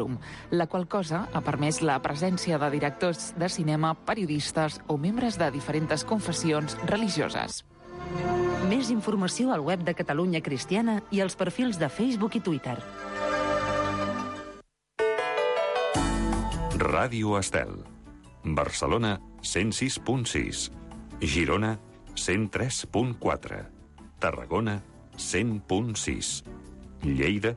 currículum, la qual cosa ha permès la presència de directors de cinema, periodistes o membres de diferents confessions religioses. Més informació al web de Catalunya Cristiana i als perfils de Facebook i Twitter. Ràdio Estel. Barcelona, 106.6. Girona, 103.4. Tarragona, 100.6. Lleida,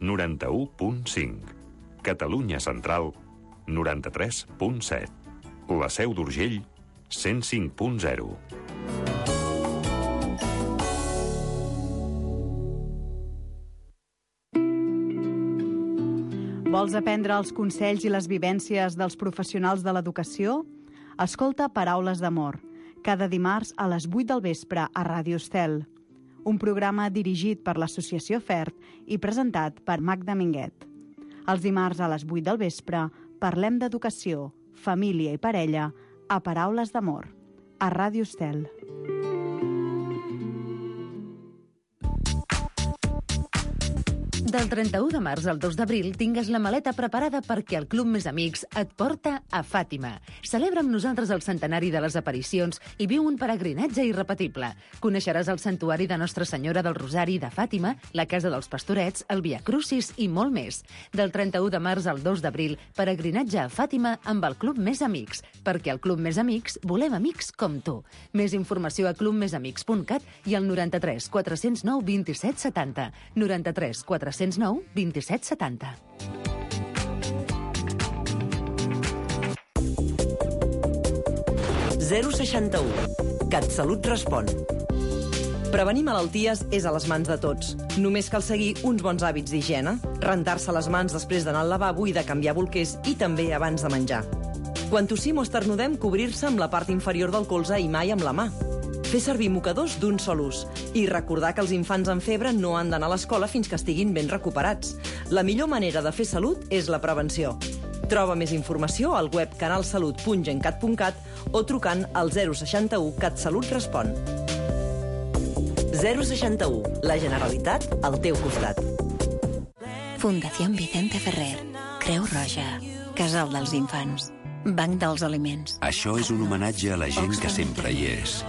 91.5. Catalunya Central, 93.7. La Seu d'Urgell, 105.0. Vols aprendre els consells i les vivències dels professionals de l'educació? Escolta Paraules d'Amor, cada dimarts a les 8 del vespre a Ràdio Estel. Un programa dirigit per l'Associació FERT i presentat per Magda Minguet. Els dimarts a les 8 del vespre parlem d'educació, família i parella a Paraules d'Amor, a Ràdio Estel. Del 31 de març al 2 d'abril tingues la maleta preparada perquè el Club Més Amics et porta a Fàtima. Celebra amb nosaltres el centenari de les aparicions i viu un peregrinatge irrepetible. Coneixeràs el santuari de Nostra Senyora del Rosari de Fàtima, la Casa dels Pastorets, el Via Crucis i molt més. Del 31 de març al 2 d'abril, peregrinatge a Fàtima amb el Club Més Amics, perquè al Club Més Amics volem amics com tu. Més informació a clubmesamics.cat i al 93 409 27 70. 93 409 27 70. CatSalut respon. Prevenir malalties és a les mans de tots. Només cal seguir uns bons hàbits d'higiene, rentar-se les mans després d'anar al lavabo i de canviar bolquers i també abans de menjar. Quan tossim o esternudem, cobrir-se amb la part inferior del colze i mai amb la mà. Fer servir mocadors d'un sol ús i recordar que els infants amb febre no han d'anar a l'escola fins que estiguin ben recuperats. La millor manera de fer salut és la prevenció. Troba més informació al web canalsalut.gencat.cat o trucant al 061 CatSalut respon. 061, la Generalitat al teu costat. Fundació Vicente Ferrer, Creu Roja, Casal dels Infants, Banc dels Aliments. Això és un homenatge a la gent que sempre hi és,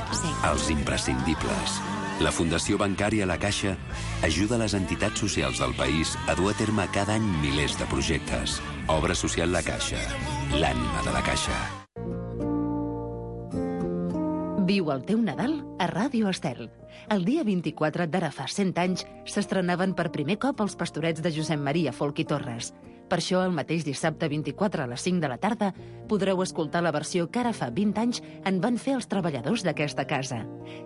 als imprescindibles. La Fundació Bancària La Caixa ajuda les entitats socials del país a dur a terme cada any milers de projectes. Obra social La Caixa, l'ànima de la Caixa. Viu el teu Nadal a Ràdio Estel. El dia 24 d'ara fa 100 anys s'estrenaven per primer cop els Pastorets de Josep Maria Folch i Torres. Per això, el mateix dissabte 24 a les 5 de la tarda podreu escoltar la versió que ara fa 20 anys en van fer els treballadors d'aquesta casa.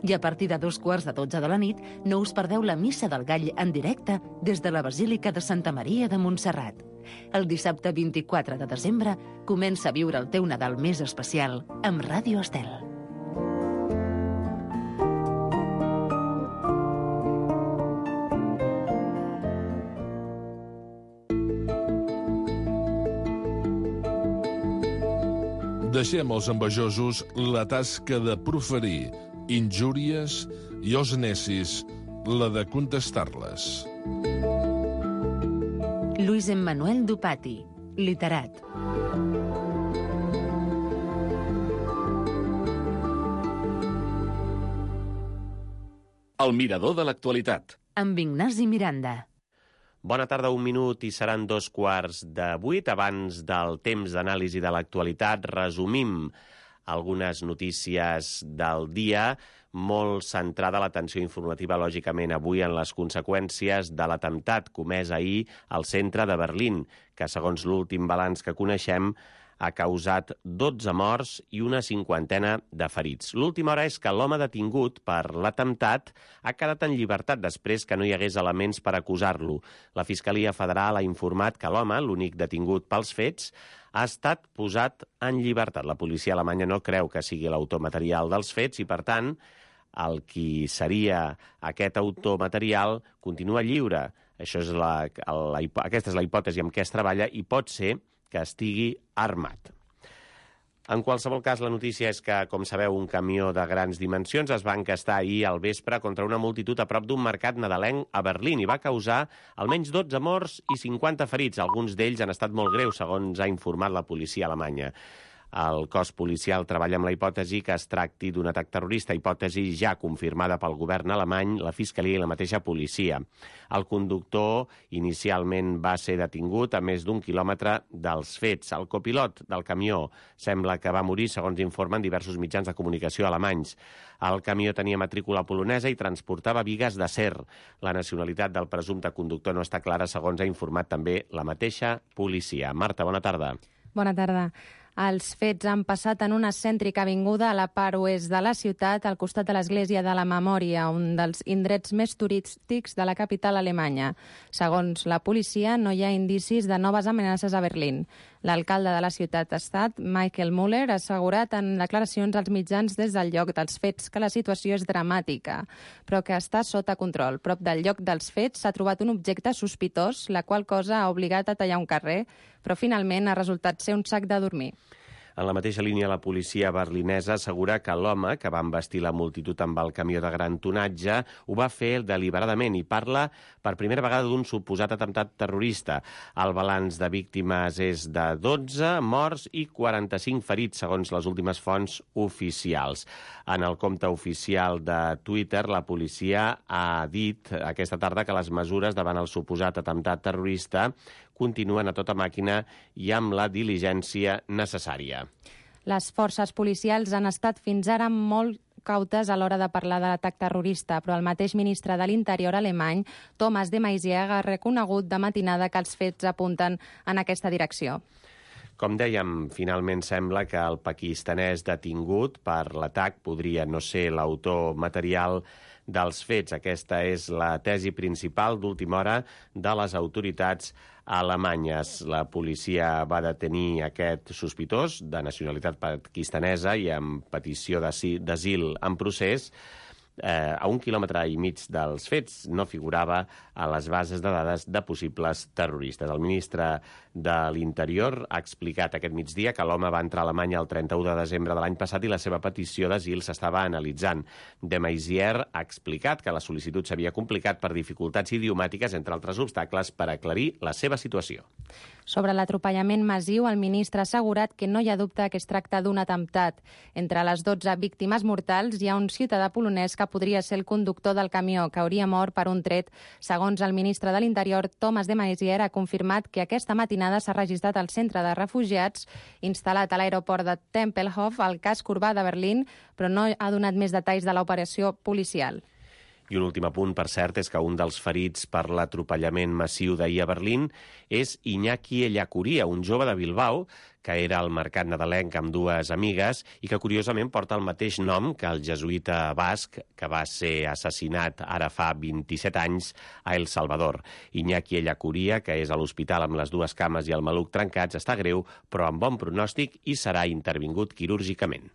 I a partir de 2:15 de la nit no us perdeu la Missa del Gall en directe des de la Basílica de Santa Maria de Montserrat. El dissabte 24 de desembre comença a viure el teu Nadal més especial amb Ràdio Estel. Deixem als envejosos la tasca de proferir injúries i als necis la de contestar-les. Luis Emmanuel Dupati, literat. El mirador de l'actualitat. Amb Ignasi Miranda. Bona tarda, 1 minut i seran 7:15. Abans del temps d'anàlisi de l'actualitat, resumim algunes notícies del dia, molt centrada l'atenció informativa, lògicament, avui en les conseqüències de l'atemptat comès ahir al centre de Berlín, que, segons l'últim balanç que coneixem, ha causat 12 morts i una 50ena de ferits. L'última hora és que l'home detingut per l'atemptat ha quedat en llibertat després que no hi hagués elements per acusar-lo. La Fiscalia Federal ha informat que l'home, l'únic detingut pels fets, ha estat posat en llibertat. La policia alemanya no creu que sigui l'autor material dels fets i, per tant, el qui seria aquest autor material continua lliure. Aquesta és la hipòtesi amb què es treballa i pot ser que estigui armat. En qualsevol cas, la notícia és que, com sabeu, un camió de grans dimensions es va encastar ahir al vespre contra una multitud a prop d'un mercat nadalenc a Berlín i va causar almenys 12 morts i 50 ferits. Alguns d'ells han estat molt greus, segons ha informat la policia alemanya. El cos policial treballa amb la hipòtesi que es tracti d'un atac terrorista, hipòtesi ja confirmada pel govern alemany, la Fiscalia i la mateixa policia. El conductor inicialment va ser detingut a més d'1 quilòmetre dels fets. El copilot del camió sembla que va morir, segons informen diversos mitjans de comunicació alemanys. El camió tenia matrícula polonesa i transportava bigues d'acer. La nacionalitat del presumpte conductor no està clara, segons ha informat també la mateixa policia. Marta, bona tarda. Bona tarda. Els fets han passat en una cèntrica avinguda a la part oest de la ciutat, al costat de l'Església de la Memòria, un dels indrets més turístics de la capital alemanya. Segons la policia, no hi ha indicis de noves amenaces a Berlín. L'alcalde de la ciutat-estat, Michael Müller, ha assegurat en declaracions als mitjans des del lloc dels fets que la situació és dramàtica, però que està sota control. Prop del lloc dels fets s'ha trobat un objecte sospitós, la qual cosa ha obligat a tallar un carrer, però finalment ha resultat ser un sac de dormir. En la mateixa línia, la policia berlinesa assegura que l'home que va embestir la multitud amb el camió de gran tonatge ho va fer deliberadament i parla per primera vegada d'un suposat atemptat terrorista. El balanç de víctimes és de 12 morts i 45 ferits, segons les últimes fonts oficials. En el compte oficial de Twitter, la policia ha dit aquesta tarda que les mesures davant el suposat atemptat terrorista continuen a tota màquina i amb la diligència necessària. Les forces policials han estat fins ara molt cautes a l'hora de parlar de l'atac terrorista, però el mateix ministre de l'Interior alemany, Thomas de Maizière, ha reconegut de matinada que els fets apunten en aquesta direcció. Com dèiem, finalment sembla que el pakistanès detingut per l'atac podria no ser l'autor material dels fets. Aquesta és la tesi principal d'última hora de les autoritats alemanyes. La policia va detenir aquest sospitós de nacionalitat pakistanesa i amb petició d'asil en procés. A 1,5 quilòmetres dels fets no figurava a les bases de dades de possibles terroristes. El ministre de l'Interior ha explicat aquest migdia que l'home va entrar a Alemanya el 31 de desembre de l'any passat i la seva petició d'asil s'estava analitzant. De Maizière ha explicat que la sol·licitud s'havia complicat per dificultats idiomàtiques, entre altres obstacles, per aclarir la seva situació. Sobre l'atropellament massiu, el ministre ha assegurat que no hi ha dubte que es tracta d'un atemptat. Entre les 12 víctimes mortals hi ha un ciutadà polonès que podria ser el conductor del camió, que hauria mort per un tret. Segons el ministre de l'Interior, Thomas de Maizière, ha confirmat que aquesta matinada s'ha registrat al centre de refugiats instal·lat a l'aeroport de Tempelhof, al casc urbà de Berlín, però no ha donat més detalls de l'operació policial. I un últim apunt, per cert, és que un dels ferits per l'atropellament massiu d'ahir a Berlín és Iñaki Ellacuría, un jove de Bilbao que era al mercat nadalenc amb dues amigues i que curiosament porta el mateix nom que el jesuïta basc que va ser assassinat ara fa 27 anys a El Salvador. Iñaki Ellacuría, que és a l'hospital amb les dues cames i el maluc trencats, està greu però amb bon pronòstic i serà intervingut quirúrgicament.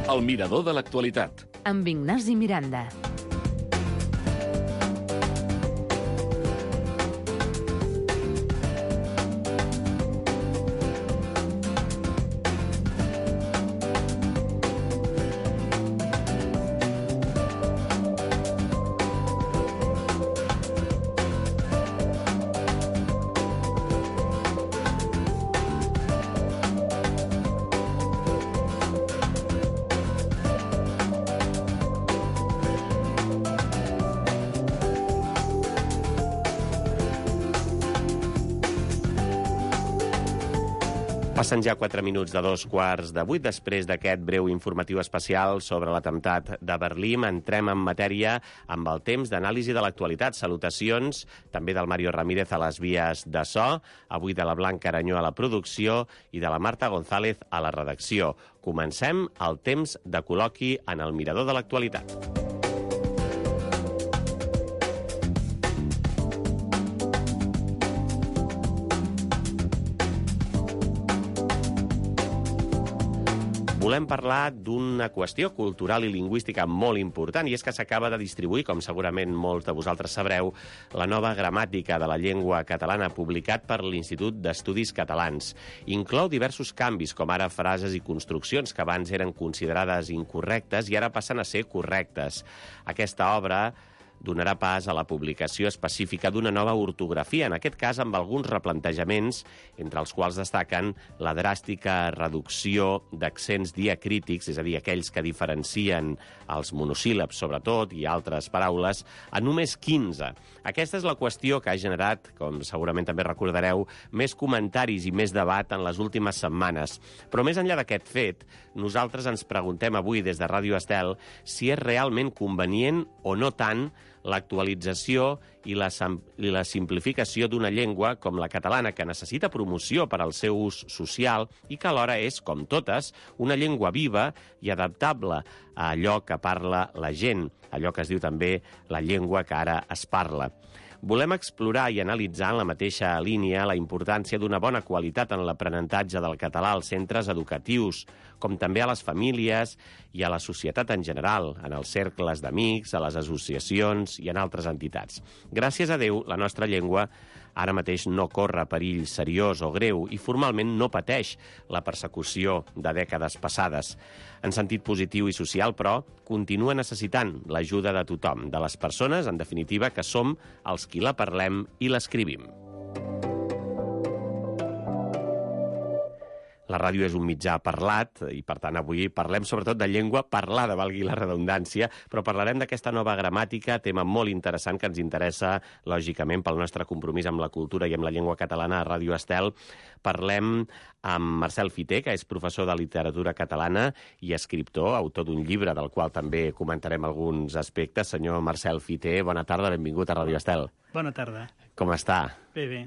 El mirador de l'actualitat. Amb Ignasi Miranda. Passen ja 4 minuts de 7:45. Després d'aquest breu informatiu especial sobre l'atemptat de Berlín, entrem en matèria amb el temps d'anàlisi de l'actualitat. Salutacions també del Mario Ramírez a les vies de so, avui de la Blanca Aranyó a la producció i de la Marta González a la redacció. Comencem el temps de col·loqui en el mirador de l'actualitat. volem parlar d'una qüestió cultural i lingüística molt important, i és que s'acaba de distribuir, com segurament molts de vosaltres sabreu, la nova gramàtica de la llengua catalana, publicat per l'Institut d'Estudis Catalans. Inclou diversos canvis, com ara frases i construccions que abans eren considerades incorrectes i ara passen a ser correctes. Aquesta obra donarà pas a la publicació específica d'una nova ortografia, en aquest cas amb alguns replantejaments, entre els quals destaquen la dràstica reducció d'accents diacrítics, és a dir, aquells que diferencien els monosíl·labs, sobretot, i altres paraules, a només 15. Aquesta és la qüestió que ha generat, com segurament també recordareu, més comentaris i més debat en les últimes setmanes. Però més enllà d'aquest fet, nosaltres ens preguntem avui des de Ràdio Estel si és realment convenient o no tant l'actualització i la simplificació d'una llengua com la catalana, que necessita promoció per al seu ús social i que alhora és, com totes, una llengua viva i adaptable a allò que parla la gent, allò que es diu també la llengua que ara es parla. Volem explorar i analitzar en la mateixa línia la importància d'una bona qualitat en l'aprenentatge del català als centres educatius, com també a les famílies i a la societat en general, en els cercles d'amics, a les associacions i en altres entitats. Gràcies a Déu, la nostra llengua ara mateix no corre perill seriós o greu i formalment no pateix la persecució de dècades passades. En sentit positiu i social, però, continua necessitant l'ajuda de tothom, de les persones, en definitiva, que som els qui la parlem i l'escrivim. La ràdio és un mitjà parlat i, per tant, avui parlem sobretot de llengua parlada, valgui la redundància, però parlarem d'aquesta nova gramàtica, tema molt interessant que ens interessa, lògicament, pel nostre compromís amb la cultura i amb la llengua catalana a Ràdio Estel. Parlem amb Marcel Fiter, que és professor de literatura catalana i escriptor, autor d'un llibre del qual també comentarem alguns aspectes. Senyor Marcel Fiter, bona tarda, benvingut a Ràdio Estel. Bona tarda. Com està? Bé, bé.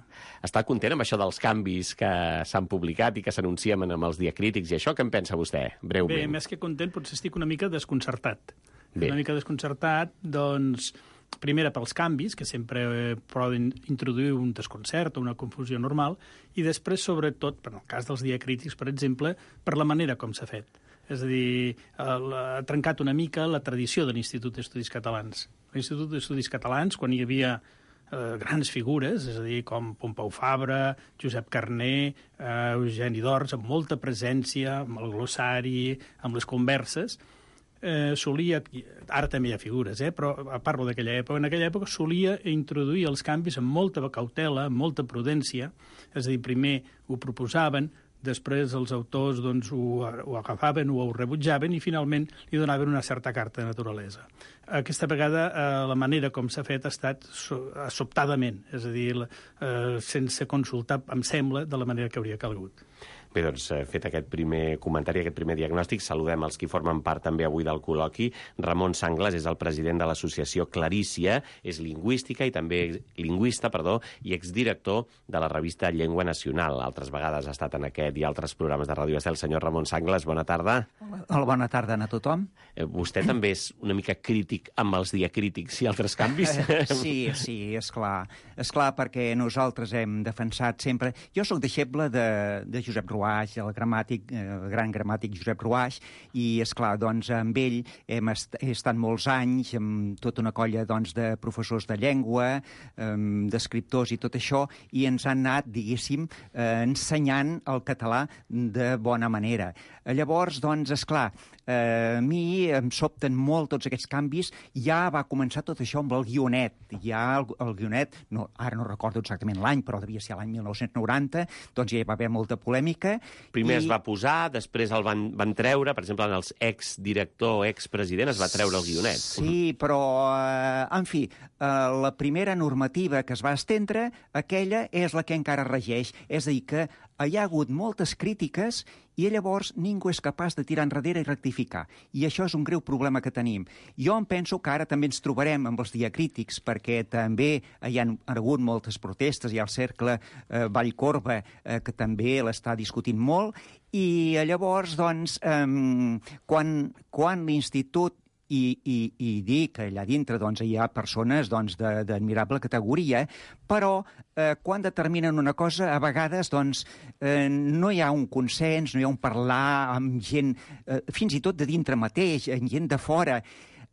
Està content amb això dels canvis que s'han publicat i que s'anuncien amb els diacrítics i això? Què en pensa vostè, breument? Bé, més que content, potser estic una mica desconcertat. Bé. Una mica desconcertat, doncs, primera pels canvis, que sempre poden introduir un desconcert o una confusió normal, i després, sobretot, per el cas dels diacrítics, per exemple, per la manera com s'ha fet. És a dir, ha trencat una mica la tradició de l'Institut d'Estudis Catalans. L'Institut d'Estudis Catalans, quan hi havia grans figures, és a dir, com Pompeu Fabra, Josep Carner, Eugeni d'Ors, amb molta presència, amb el glossari, amb les converses, solia, ara també hi ha figures, però parlo d'aquella època, en aquella època solia introduir els canvis amb molta cautela, amb molta prudència, és a dir, primer ho proposaven, després els autors doncs, ho agafaven o ho rebutjaven i finalment li donaven una certa carta de naturalesa. Aquesta vegada la manera com s'ha fet ha estat sobtadament, és a dir, sense consultar, em sembla, de la manera que hauria calgut. Bé, doncs, fet aquest primer comentari, aquest primer diagnòstic, saludem els qui formen part també avui del col·loqui. Ramon Sanglas és el president de l'associació Clarícia, és lingüista i exdirector de la revista Llengua Nacional. Altres vegades ha estat en aquest i altres programes de Ràdio Estel. Senyor Ramon Sanglas, bona tarda. Hola, bona tarda a tothom. Vostè també és una mica crític amb els diacrítics i altres canvis? Sí, és clar. És clar, perquè nosaltres hem defensat sempre... Jo soc deixeble de Josep Ruaix, el gran gramàtic Josep Ruaix, i, esclar, doncs, amb ell he estat molts anys amb tota una colla doncs, de professors de llengua, d'escriptors i tot això, i ens han anat, diguéssim, ensenyant el català de bona manera. Llavors, doncs, esclar, a mi em sobten molt tots aquests canvis. Ja va començar tot això amb el guionet. Ja el guionet, ara no recordo exactament l'any, però devia ser l'any 1990, doncs ja hi va haver molta polèmica. Primer es va posar, després el van treure, per exemple, en els exdirector, expresident, es va treure el guionet. Sí, però, en fi, la primera normativa que es va estendre, aquella és la que encara regeix. És a dir, que hi ha hagut moltes crítiques i llavors ningú és capaç de tirar enrere i rectificar. I això és un greu problema que tenim. Jo em penso que ara també ens trobarem amb els diacrítics, perquè també hi ha hagut moltes protestes, hi ha el cercle Vallcorba, que també l'està discutint molt, i llavors, doncs, quan l'Institut i dir que allà dintre hi ha persones d'admirable categoria, però quan determinen una cosa, a vegades no hi ha un consens, no hi ha un parlar amb gent, fins i tot de dintre mateix, amb gent de fora.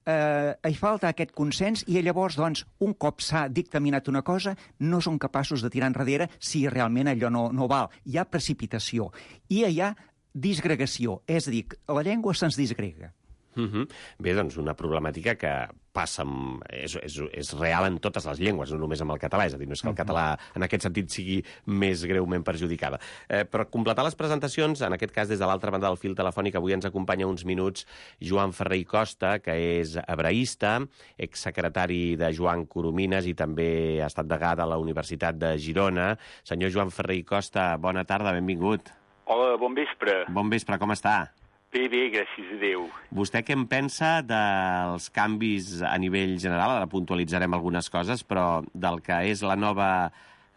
Hi falta aquest consens i llavors, un cop s'ha dictaminat una cosa, no són capaços de tirar enrere si realment allò no val. Hi ha precipitació i hi ha disgregació, és a dir, la llengua se'ns disgrega. Bé, doncs una problemàtica que passa, és real en totes les llengües, no només amb el català, és a dir, no és que el català en aquest sentit sigui més greument perjudicada. Per completar les presentacions, en aquest cas des de l'altra banda del fil telefònic, avui ens acompanya uns minuts Joan Ferrer i Costa, que és hebraista, exsecretari de Joan Coromines i també ha estat degà de la Universitat de Girona. Senyor Joan Ferrer i Costa, bona tarda, benvingut. Hola, bon vespre. Bon vespre, com està? Bé, gràcies a Déu. Vostè què en pensa dels canvis a nivell general? Ara puntualitzarem algunes coses, però del que és la nova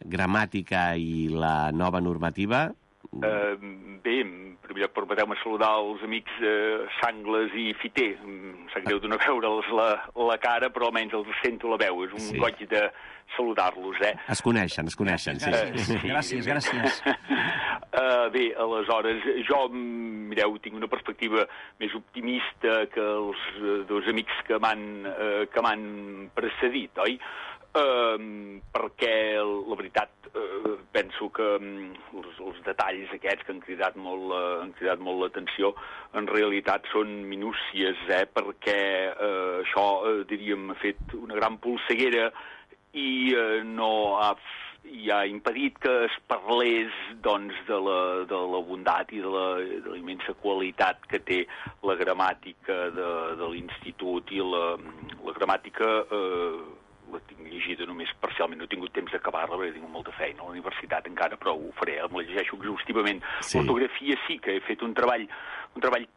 gramàtica i la nova normativa? Bé, en primer lloc, permeteu-me saludar els amics Sangles i Fiter. Em sap greu de no veure'ls la cara, però almenys els sento la veu. És un goig de saludar-los, Es coneixen, sí. Gràcies. Bé, aleshores, jo, mireu, tinc una perspectiva més optimista que els dos amics que m'han precedit, oi? Perquè, la veritat, penso que els detalls aquests que han cridat molt l'atenció en realitat són minúcies, perquè això, diríem, ha fet una gran polseguera i no ha impedit que es parlés de la bondat i de la immensa qualitat que té la gramàtica de l'institut i la gramàtica la tinc llegida només parcialment, no he tingut temps d'acabar-la perquè tinc molta feina a la universitat encara, però ho faré, em la llegeixo exhaustivament. L'ortografia sí que he fet un treball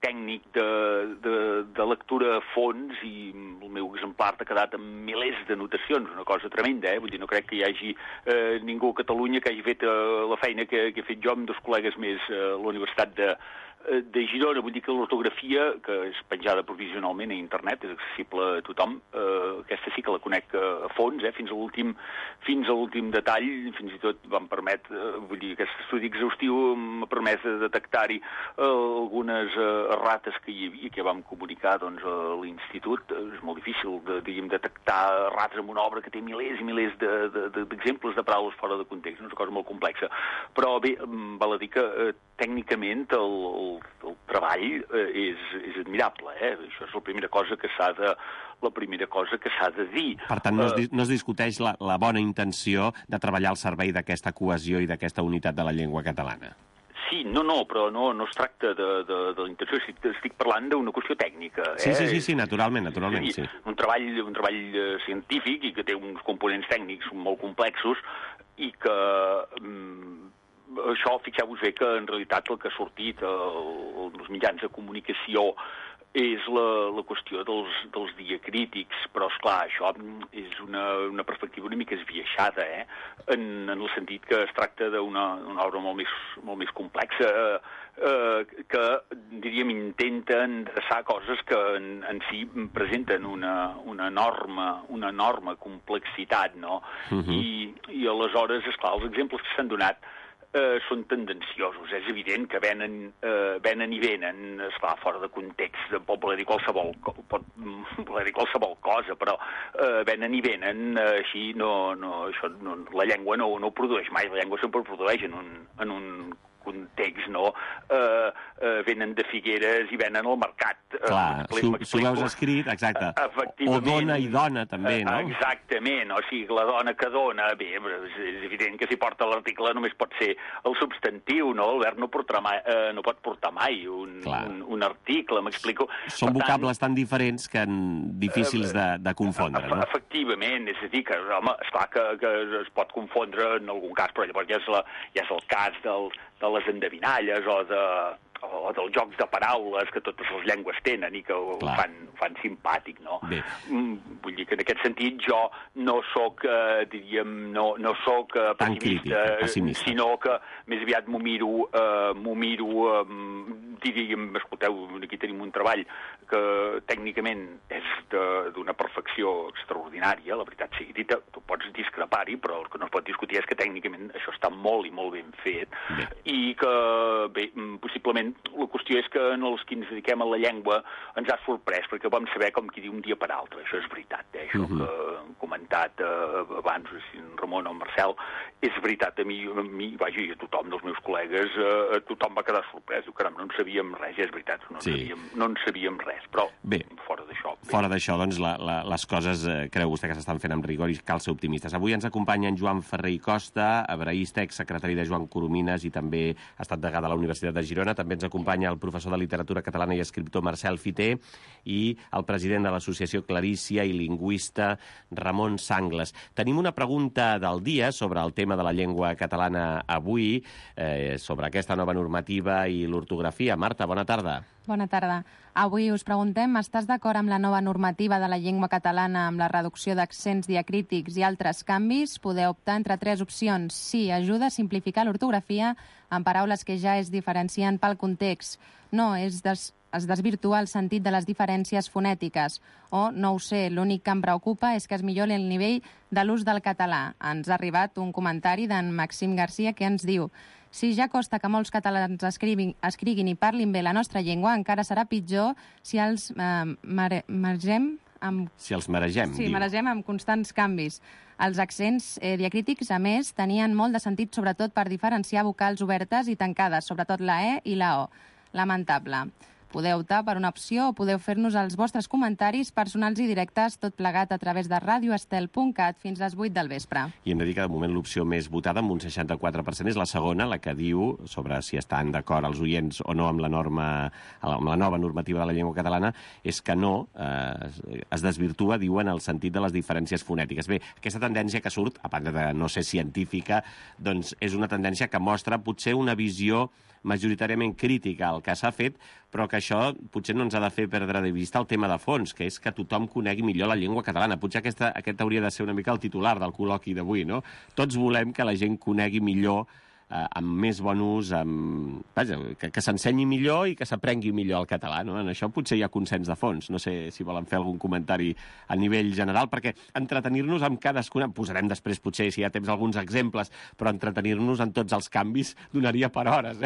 tècnic de lectura a fons i el meu exemplar ha quedat amb milers d'anotacions, una cosa tremenda, Vull dir, no crec que hi hagi ningú a Catalunya que hagi fet la feina que he fet jo amb dos col·legues més a la Universitat de Girona. Vull dir que l'ortografia, que és penjada provisionalment a internet, és accessible a tothom, aquesta sí que la conec a fons, fins a l'últim detall, fins i tot vam permetre, vull dir, aquest estudi exhaustiu m'ha permès de detectar-hi algunes errates que hi havia, que vam comunicar a l'institut. És molt difícil, detectar errates en una obra que té milers i milers d'exemples de paraules fora de context, és una cosa molt complexa. Però bé, val a dir que tècnicament el treball és admirable, Això és la primera cosa que s'ha de dir. Per tant, no es discuteix la bona intenció de treballar al servei d'aquesta cohesió i d'aquesta unitat de la llengua catalana. Sí, però no es tracta de la intenció, estic parlant d'una qüestió tècnica. Sí, naturalment, sí. Un treball científic i que té uns components tècnics molt complexos i que això, fixeu-vos bé que en realitat el que ha sortit als mitjans de comunicació és la qüestió dels diacrítics, però, esclar, això és una perspectiva una mica esbiaixada, en el sentit que es tracta d'una obra molt més complexa, que, diríem, intenta endreçar coses que en si presenten una enorme complexitat, no? I aleshores, esclar, els exemples que s'han donat són tendenciosos. És evident que venen i venen, esclar, fora de context, pot voler dir qualsevol cosa, però venen i venen, així la llengua no ho produeix mai, la llengua sempre ho produeix en un context, no? Venen de Figueres i venen al mercat. Clar, si ho veus escrit, exacte. O dona i dona, també, no? Exactament, o sigui, la dona que dona, bé, és evident que si porta l'article només pot ser el substantiu, no? El verb no pot portar mai un article, m'explico. Són vocables tan diferents que difícils de confondre, no? Efectivament, és a dir, que, home, esclar que es pot confondre en algun cas, però llavors ja és el cas de les endevinalles o dels jocs de paraules que totes les llengües tenen i que ho fan simpàtic, no? Vull dir que en aquest sentit jo no soc, diríem, no soc pessimista, sinó que més aviat m'ho miro diríem, escolteu, aquí tenim un treball que tècnicament és d'una perfecció extraordinària, la veritat sigui dita, tu pots discrepar-hi, però el que no es pot discutir és que tècnicament això està molt i molt ben fet, i que, bé, possiblement la qüestió és que en els que ens dediquem a la llengua ens ha sorprès, perquè vam saber com qui diu un dia per altre, això és veritat, això que han comentat abans en Ramon o en Marcel, és veritat, a mi, vaja, i a tothom dels meus col·legues, tothom va quedar sorprès, diu, caram, no en sabíem res, és veritat, no en sabíem res, però fora d'això. Fora d'això, doncs, les coses, creu vostè que s'estan fent amb rigor i cal ser optimistes. Avui ens acompanya en Joan Ferrer i Costa, hebreista, exsecretari de Joan Coromines i també ha estat degà de la Universitat de Girona. També ens acompanya el professor de literatura catalana i escriptor Marcel Fiter i el president de l'Associació Clarícia i lingüista Ramon Sangles. Tenim una pregunta del dia sobre el tema de la llengua catalana avui, sobre aquesta nova normativa i l'ortografia. Marta, bona tarda. Bona tarda. Avui us preguntem, estàs d'acord amb la nova normativa de la llengua catalana amb la reducció d'accents diacrítics i altres canvis? Podeu optar entre 3 opcions. Sí, ajuda a simplificar l'ortografia en paraules que ja es diferencien pel context. No, es desvirtua el sentit de les diferències fonètiques. O, no ho sé, l'únic que em preocupa és que es millori el nivell de l'ús del català. Ens ha arribat un comentari d'en Maxim Garcia que ens diu: si ja costa que molts catalans escriguin i parlin bé la nostra llengua, encara serà pitjor si els maregem amb... Si els maregem, diu. Sí, maregem amb constants canvis. Els accents diacrítics, a més, tenien molt de sentit, sobretot per diferenciar vocals obertes i tancades, sobretot la E i la O. Lamentable. Podeu optar per una opció o podeu fer-nos els vostres comentaris personals i directes, tot plegat a través de radioestel.cat fins a les 8 del vespre. I hem de dir que de moment l'opció més votada, amb un 64%, és la segona, la que diu sobre si estan d'acord els oients o no amb la nova normativa de la llengua catalana, és que no, es desvirtua, diuen, el sentit de les diferències fonètiques. Bé, aquesta tendència que surt, a part de no ser científica, doncs és una tendència que mostra potser una visió majoritàriament crítica al que s'ha fet, però que això potser no ens ha de fer perdre de vista el tema de fons, que és que tothom conegui millor la llengua catalana. Potser aquest hauria de ser una mica el titular del col·loqui d'avui, no? Tots volem que la gent conegui millor, amb més bon ús, vaja, que s'ensenyi millor i que s'aprengui millor el català, no? En això potser hi ha consens de fons. No sé si volen fer algun comentari a nivell general, perquè entretenir-nos amb cadascuna... Posarem després, potser, si hi ha temps, alguns exemples, però entretenir-nos en tots els canvis donaria per hores,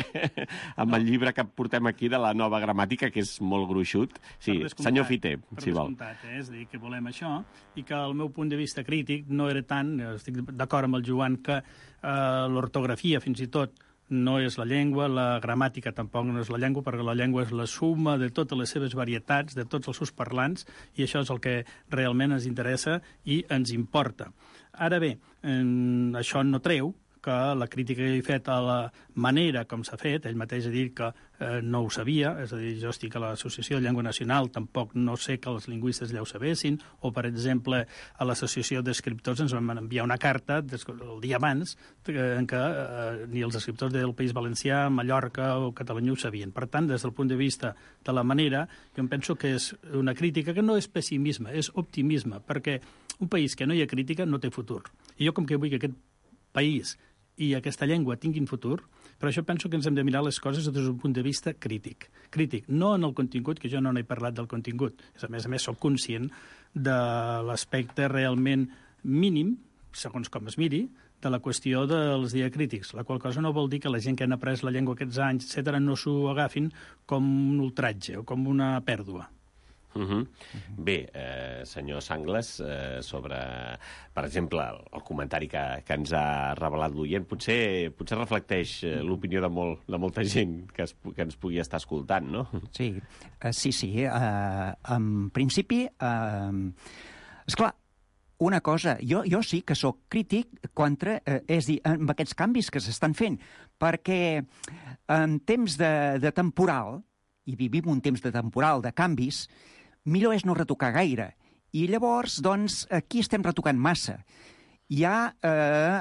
amb el llibre que portem aquí de la nova gramàtica, que és molt gruixut. Sí, senyor Fiter, si vol. És a dir, que volem això, i que el meu punt de vista crític no era tant, estic d'acord amb el Joan, que l'ortografia, fins i tot, no és la llengua, la gramàtica tampoc no és la llengua, perquè la llengua és la suma de totes les seves varietats, de tots els seus parlants, i això és el que realment ens interessa i ens importa. Ara bé, això no treu que la crítica que he fet a la manera com s'ha fet, ell mateix ha dit que no ho sabia, és a dir, jo estic a l'Associació de Llengua Nacional, tampoc no sé que els lingüistes ja ho sabessin, o, per exemple, a l'Associació d'Escriptors ens van enviar una carta el dia abans en què ni els escriptors del País Valencià, Mallorca o Catalunya ho sabien. Per tant, des del punt de vista de la manera, jo em penso que és una crítica que no és pessimisme, és optimisme, perquè un país que no hi ha crítica no té futur. I jo, com que vull que aquest país i aquesta llengua tinguin futur, per això penso que ens hem de mirar les coses des d'un punt de vista crític. Crític, no en el contingut, que jo no n'he parlat del contingut. A més, soc conscient de l'aspecte realment mínim, segons com es miri, de la qüestió dels diacrítics, la qual cosa no vol dir que la gent que han après la llengua aquests anys, etc., no s'ho agafin com un ultratge o com una pèrdua. Bé, senyor Sangles, sobre, per exemple, el comentari que ens ha revelat l'oient, potser reflecteix l'opinió de molta gent que ens pugui estar escoltant, no? Sí. En principi, esclar, una cosa, jo sí que sóc crític contra, és a dir, amb aquests canvis que s'estan fent, perquè en temps de temporal, i vivim un temps de temporal, de canvis, millor és no retocar gaire. I llavors, doncs, aquí estem retocant massa. Ja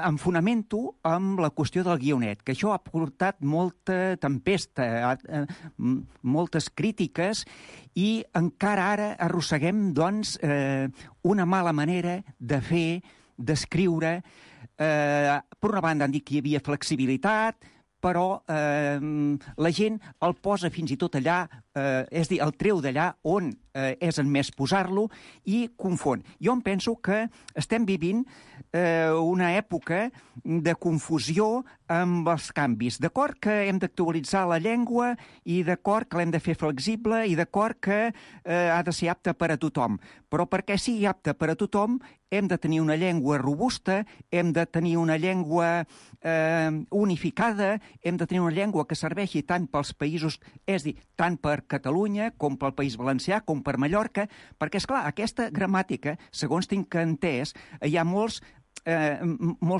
em fonamento amb la qüestió del guionet, que això ha portat molta tempesta, moltes crítiques, i encara ara arrosseguem, doncs, una mala manera de fer, d'escriure. Per una banda han dit que hi havia flexibilitat, però la gent el posa fins i tot allà, és a dir, el treu d'allà on és admès posar-lo i confon. Jo em penso que estem vivint una època de confusió amb els canvis. D'acord que hem d'actualitzar la llengua i d'acord que l'hem de fer flexible i d'acord que ha de ser apta per a tothom. Però perquè sigui apta per a tothom hem de tenir una llengua robusta, hem de tenir una llengua unificada, hem de tenir una llengua que serveixi tant pels països, és a dir, tant per Catalunya com pel País Valencià, com per Mallorca, perquè, esclar, aquesta gramàtica, segons tinc entès, hi ha molts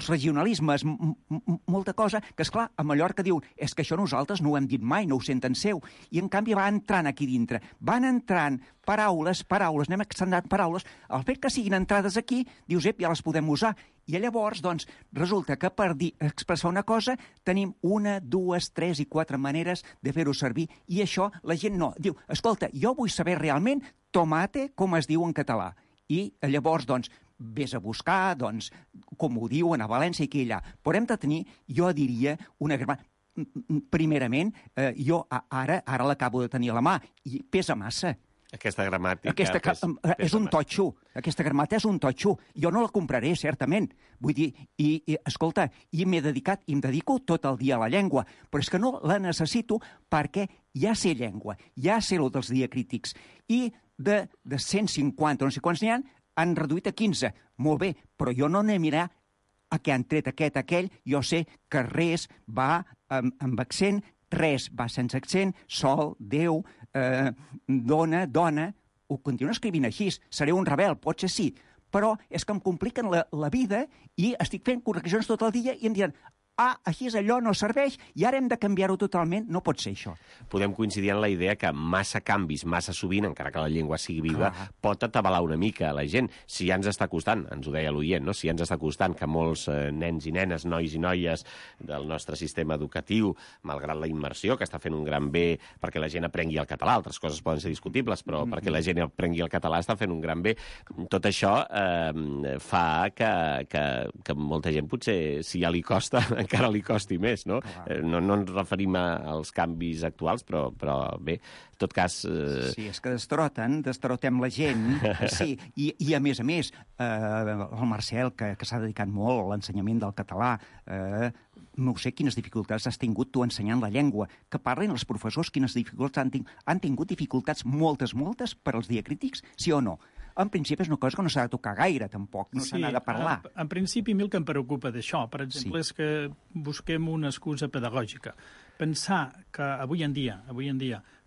regionalismes, molta cosa, que, esclar, a Mallorca diuen és que això nosaltres no ho hem dit mai, no ho senten seu, i en canvi va entrant aquí dintre. Van entrant paraules, anem extendant paraules, el fet que siguin entrades aquí, dius, ja les podem usar, i llavors, doncs, resulta que per expressar una cosa tenim 1, 2, 3 i 4 maneres de fer-ho servir, i això la gent no. Diu, escolta, jo vull saber realment tomate com es diu en català. I llavors, doncs, vés a buscar, doncs, com ho diuen a València i aquí i allà. Però hem de tenir, jo diria, una gramàtica. Primerament, jo ara l'acabo de tenir a la mà i pesa massa. Aquesta gramàtica... És un totxo. Aquesta gramàtica és un totxo. Jo no la compraré, certament. Vull dir, escolta, i em dedico tot el dia a la llengua, però és que no la necessito perquè ja sé llengua, ja sé el dels diacrítics. I de 150, no sé quants n'hi ha, han reduït a 15. Molt bé, però jo no anem a mirar a què han tret aquell. Jo sé que res va amb accent, res va sense accent, sol, Déu, dona, ho continuo escrivint així. Seré un rebel, potser sí, però és que em compliquen la vida i estic fent correccions tot el dia i em diran així és allò, no serveix, i ara hem de canviar-ho totalment. No pot ser això. Podem coincidir en la idea que massa canvis, massa sovint, encara que la llengua sigui viva, pot atabalar una mica a la gent. Si ja ens està costant, ens ho deia l'oient, no? Si ja ens està costant que molts nens i nenes, nois i noies del nostre sistema educatiu, malgrat la immersió, que està fent un gran bé perquè la gent aprengui el català, altres coses poden ser discutibles, però perquè la gent aprengui el català està fent un gran bé. Tot això fa que molta gent, potser, si ja li costa, encara li costi més, no? No ens referim als canvis actuals, però bé, en tot cas... Sí, és que destrotem la gent, sí, i a més, el Marcel, que s'ha dedicat molt a l'ensenyament del català, no sé quines dificultats has tingut tu ensenyant la llengua, que parlin els professors quines dificultats han tingut dificultats moltes per als diacrítics, sí o no? En principi és una cosa que no s'ha de tocar gaire, tampoc, no se n'ha de parlar. En principi, a mi el que em preocupa d'això, per exemple, és que busquem una excusa pedagògica. Pensar que avui en dia,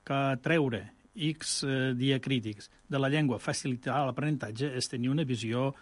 que treure X diacrítics de la llengua, facilitar l'aprenentatge, és tenir una visió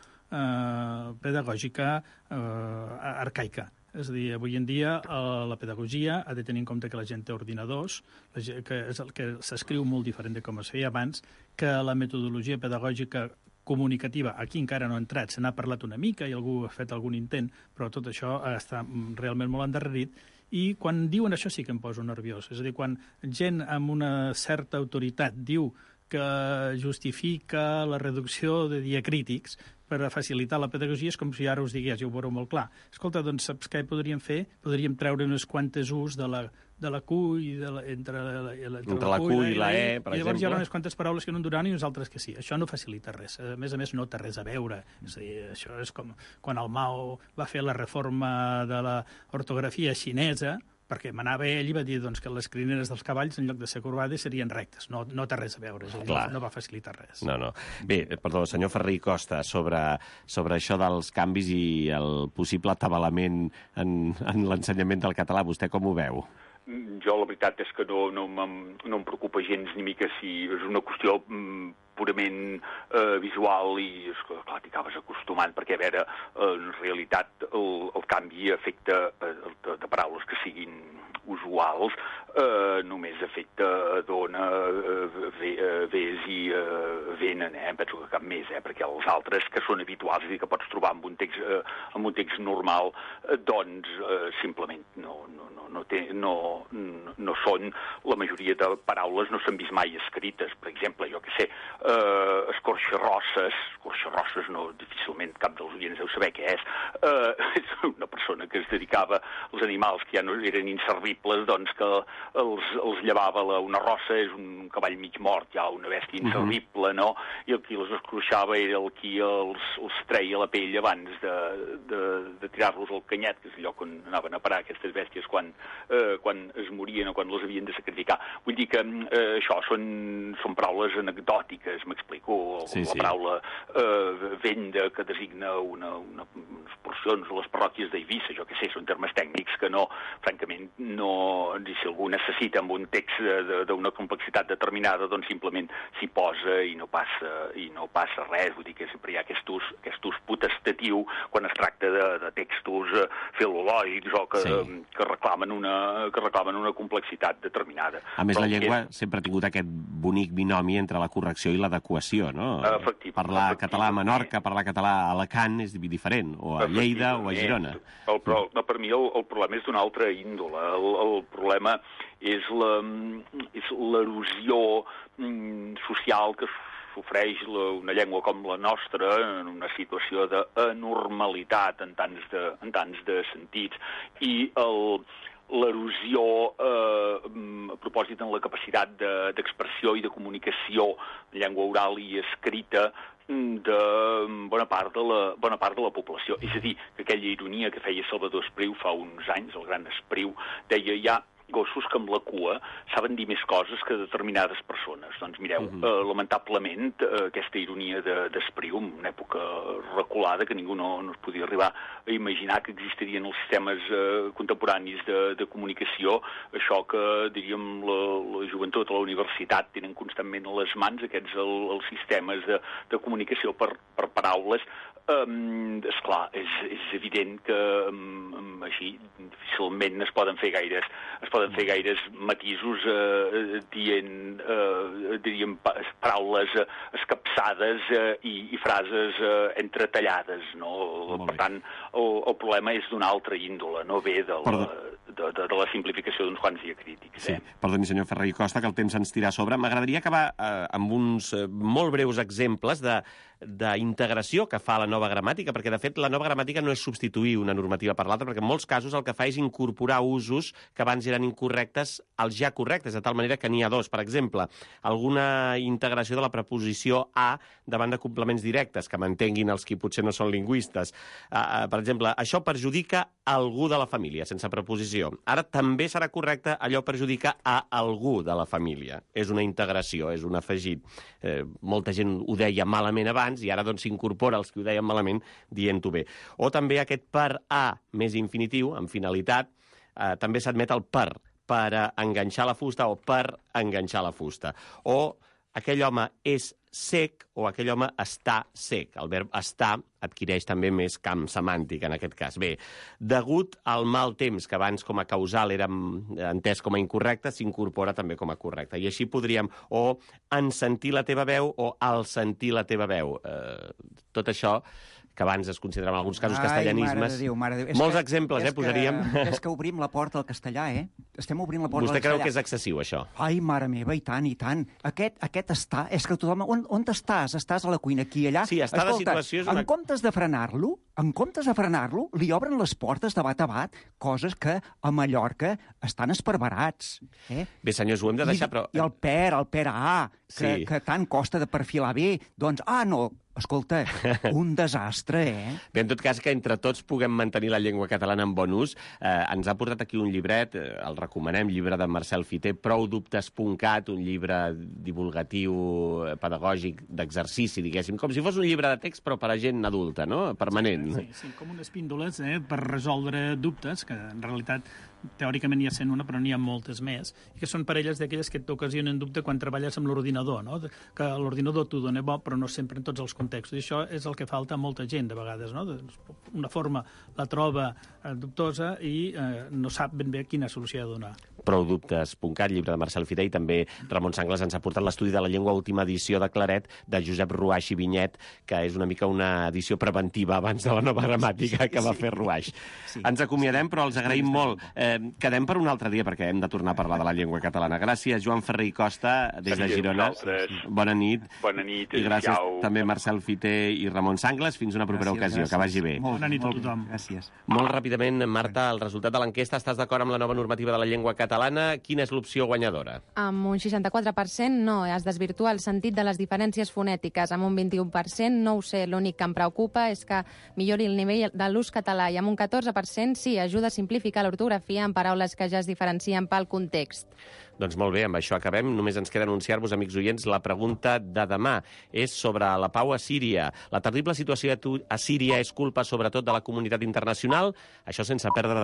pedagògica arcaica. És a dir, avui en dia la pedagogia ha de tenir en compte que la gent té ordinadors, que s'escriu molt diferent de com es feia abans, que la metodologia pedagògica comunicativa aquí encara no ha entrat, se n'ha parlat una mica i algú ha fet algun intent, però tot això està realment molt endarrerit. I quan diuen això sí que em poso nerviós. És a dir, quan gent amb una certa autoritat diu que justifica la reducció de diacrítics per a facilitar la pedagogia, és com si ara us digués, jo ho veureu molt clar. Escolta, doncs saps què podríem fer? Podríem treure unes quantes us de la Q i entre la Q i la E, per exemple. I llavors hi haurà unes quantes paraules que no en duraran i unes altres que sí. Això no facilita res. A més, no té res a veure. És a dir, això és com quan el Mao va fer la reforma de l'ortografia xinesa, perquè manava ell i va dir doncs, que les crineres dels cavalls, en lloc de ser corbades, serien rectes. No té res a veure, no va facilitar res. No. Bé, perdó, senyor Ferrer i Costa, sobre això dels canvis i el possible atabalament en l'ensenyament del català, vostè com ho veu? Jo la veritat és que no em preocupa gens ni mica si és una qüestió purament visual i, clar, t'hi acabes acostumant, perquè, a veure, en realitat el canvi afecta de paraules que siguin usuals, només afecta dona, ves i venen, penso que cap més, perquè els altres que són habituals, és a dir, que pots trobar en un text normal, doncs simplement no són, la majoria de paraules no s'han vist mai escrites. Per exemple, jo què sé, Escorxarrosses no, difícilment cap dels oients deu saber què és una persona que es dedicava als animals que ja no eren inservibles, doncs que els llevava una rossa, és un cavall mig mort, ja una bèstia inservible, no? I el qui les escorxava era el qui els treia la pell abans de tirar-los al canyet, que és el lloc on anaven a parar aquestes bèsties quan es morien o quan les havien de sacrificar. Vull dir que això són paraules anecdòtiques, m'explico, la paraula venda, que designa unes porcions de les parròquies d'Eivissa, jo què sé, són termes tècnics que no, francament, si algú necessita amb un text d'una complexitat determinada, doncs simplement s'hi posa i no passa res. Vull dir que sempre hi ha aquest ús potestatiu quan es tracta de textos filològics o que reclamen una complexitat determinada. A més, la llengua sempre ha tingut aquest bonic binomi entre la correcció i l'adequació, no? Parlar català a Menorca, parlar català a Alacant és diferent, o a Lleida o a Girona. Per mi el problema és d'una altra índole. El problema és l'erosió social que sofreix una llengua com la nostra en una situació d'anormalitat en tants de sentits, i l'erosió a propòsit en la capacitat d'expressió i de comunicació en llengua oral i escrita de bona part de la població. És a dir, que aquella ironia que feia Salvador Espriu fa uns anys, el gran Espriu, deia ja gossos que amb la cua saben dir més coses que determinades persones. Doncs mireu, lamentablement, aquesta ironia d'Espriu, en una època reculada que ningú no es podia arribar a imaginar que existirien els sistemes contemporanis de comunicació, això que, diríem, la joventut a la universitat tenen constantment a les mans, aquests els sistemes de comunicació per paraules. Esclar, és evident que així difícilment es poden fer gaires matisos dient, diríem, paraules escapçades i frases entretallades, no? Per tant, el problema és d'una altra índole, no ve de la simplificació d'uns quants diacrítics. Sí, perdoni, senyor Ferrer i Costa, que el temps ens tira a sobre. M'agradaria acabar amb uns molt breus exemples d'integració que fa la nova gramàtica, perquè, de fet, la nova gramàtica no és substituir una normativa per l'altra, perquè en molts casos el que fa és incorporar usos que abans eren incorrectes als ja correctes, de tal manera que n'hi ha dos. Per exemple, alguna integració de la preposició a davant de complements directes, que m'entenguin els qui potser no són lingüistes. Per exemple, això perjudica algú de la família, sense preposició. Ara també serà correcte allò perjudica a algú de la família. És una integració, és un afegit. Molta gent ho deia malament abans, i ara doncs s'incorpora els que ho deien malament dient-ho bé. O també aquest per a més infinitiu, amb finalitat, també s'admet el per enganxar la fusta o per enganxar la fusta. O aquell home és sec o aquell home està sec. El verb estar adquireix també més camp semàntic en aquest cas. Bé, degut al mal temps, que abans com a causal era entès com a incorrecte, s'incorpora també com a correcte. I així podríem o en sentir la teva veu o al sentir la teva veu. Tot això que abans es consideraven en alguns casos castellanismes. Mare de Déu. Molts exemples, posaríem. És que obrim la porta al castellà, Estem obrint la porta al castellà. Vostè creu que és excessiu, això? Ai, mare meva, i tant, i tant. Aquest estar, és que tothom... On estàs? Estàs a la cuina, aquí, allà? Sí, estar a la situació és una... En comptes de frenar-lo, li obren les portes de bat a bat, coses que a Mallorca estan esparverats. Bé, senyors, ho hem de deixar, però... I el per a, que tant costa de perfilar bé, doncs, no... Escolta, un desastre, Bé, en tot cas, que entre tots puguem mantenir la llengua catalana en bon ús. Ens ha portat aquí un llibret, el recomanem, llibre de Marcel Fiter, proudubtes.cat, un llibre divulgatiu, pedagògic, d'exercici, diguéssim, com si fos un llibre de text, però per a gent adulta, no? Permanent. Sí, com unes píndoles per resoldre dubtes, que en realitat teòricament ja sent una, però n'hi ha moltes més, i que són parelles d'aquelles que t'ocasionen dubte quan treballes amb l'ordinador, no? Que l'ordinador t'ho dona bo, però no sempre en tots els contextos. I això és el que falta a molta gent, de vegades, no? Una forma la troba dubtosa i no sap ben bé quina solució ha de donar. Proudubtes.cat, llibre de Marcel Fiter, i també Ramon Sangles ens ha portat l'estudi de la llengua, última edició de Claret, de Josep Ruaix i Vinyet, que és una mica una edició preventiva abans de la nova gramàtica que va fer Ruaix. Ens acomiadem, però els agraïm molt Quedem per un altre dia, perquè hem de tornar a parlar de la llengua catalana. Gràcies, Joan Ferrer i Costa, des de Girona. Bona nit. Bona nit. I gràcies també Marcel Fiter i Ramon Sangles. Fins una propera ocasió. Que vagi bé. Bona nit a tothom. Gràcies. Molt ràpidament, Marta, el resultat de l'enquesta. Estàs d'acord amb la nova normativa de la llengua catalana? Quina és l'opció guanyadora? Amb un 64% no, es desvirtua el sentit de les diferències fonètiques. Amb un 21% no ho sé, l'únic que em preocupa és que millori el nivell de l'ús català, i amb un 14% sí, ajuda a simplificar l'ortografia en paraules que ja es diferencien pel context. Doncs molt bé, amb això acabem. Només ens queda anunciar-vos, amics oients, la pregunta de demà. És sobre la pau a Síria. La terrible situació a Síria és culpa sobretot de la comunitat internacional? Això sense perdre de